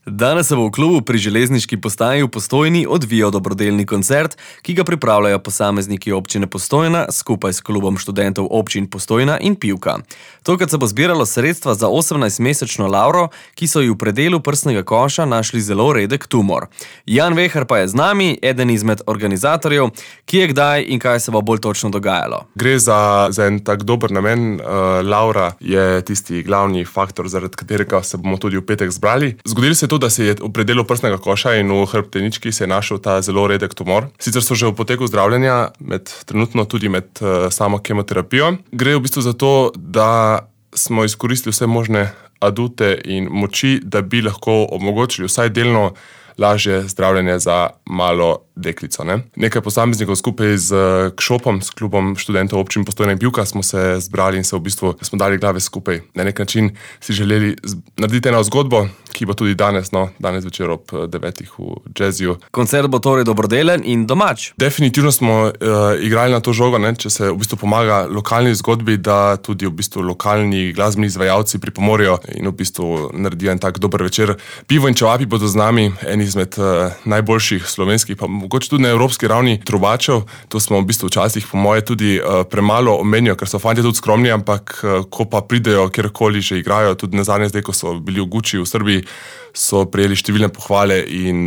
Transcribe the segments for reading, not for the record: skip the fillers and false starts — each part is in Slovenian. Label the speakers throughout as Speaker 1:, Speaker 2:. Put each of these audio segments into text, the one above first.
Speaker 1: Danes se bo v klubu pri železniški postaji v Postojni odvijal dobrodelni koncert, ki ga pripravljajo posamezniki občine Postojna skupaj s klubom študentov občin Postojna in Pivka. Tokrat se bo zbiralo sredstva za 18-mesečno Lauro, ki so ji v predelu prsnega koša našli zelo redek tumor. Jan Vehar pa je z nami, eden izmed organizatorjev, ki je kdaj in kaj se bo bolj točno dogajalo.
Speaker 2: Gre za en tak dober namen. Laura je tisti glavni faktor, zaradi katerega se bomo tudi v petek zbrali. Zgodilo se je to, da se je v predelu prsnega koša in v hrbtenički se je našel ta zelo redek tumor. Sicer so že v poteku zdravljenja, trenutno tudi med samo kemoterapijo. Gre v bistvu za to, da smo izkoristili vse možne adute in moči, da bi lahko omogočili vsaj delno lažje zdravljenje za malo deklico. Nekaj posameznikov skupaj z KŠOP-om, s klubom študentov občin Postojna in Pivka, smo se zbrali in se v bistvu smo dali glave skupaj. Na nek način si želeli narediti eno zgodbo, ki bo tudi danes večer ob 9 v Jazziju.
Speaker 1: Koncert bo torej dobrodelen in domač.
Speaker 2: Definitivno smo igrali na to žogo, če se v bistvu pomaga lokalni zgodbi, da tudi v bistvu lokalni glasbeni izvajalci pripomorijo in v bistvu naredijo en tak dober večer. Pivo in čevapi bodo z nami, eni izmed najboljših slovenskih, pa mogoče tudi na evropski ravni trubačev. To smo v bistvu včasih, po moje, tudi premalo omenijo, ker so fantje tudi skromni, ampak ko pa pridejo, kjerkoli že igrajo, tudi nazadnje zdaj, ko so bili v Guči v Srbiji, so prejeli številne pohvale in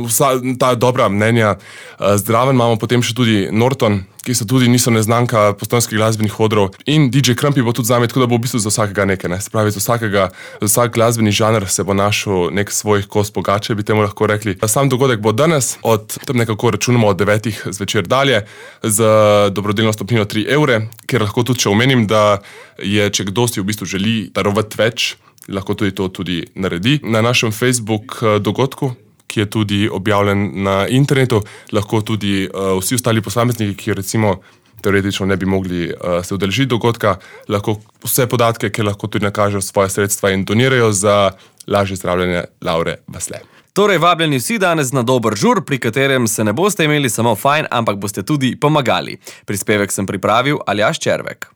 Speaker 2: vsa ta dobra mnenja. Zdraven imamo potem še tudi Norton, ki so tudi niso neznanka postojnskih glasbenih odrov, in DJ Krampi bo tudi z nami, tako da bo v bistvu za vsakega nekaj. Se pravi, za vsak glasbeni žanr se bo našel nek svoj kos pogače, bi temu lahko rekli. Sam dogodek bo danes, tam nekako računamo od 9 zvečer dalje, z dobrodelno stopnino 3 evre, kjer lahko tudi še omenim, da je, če kdo si v bistvu želi darovati več, lahko tudi to tudi naredi. Na našem Facebook dogodku, ki je tudi objavljen na internetu, lahko tudi vsi ostali posamezniki, ki recimo teoretično ne bi mogli se udeležiti dogodka, lahko vse podatke, ki lahko tudi nakažejo svoje sredstva in donirajo za lažje zdravljenje Laure Vasle.
Speaker 1: Torej, vabljeni vsi danes na dober žur, pri katerem se ne boste imeli samo fajn, ampak boste tudi pomagali. Prispevek sem pripravil Aljaž Červek.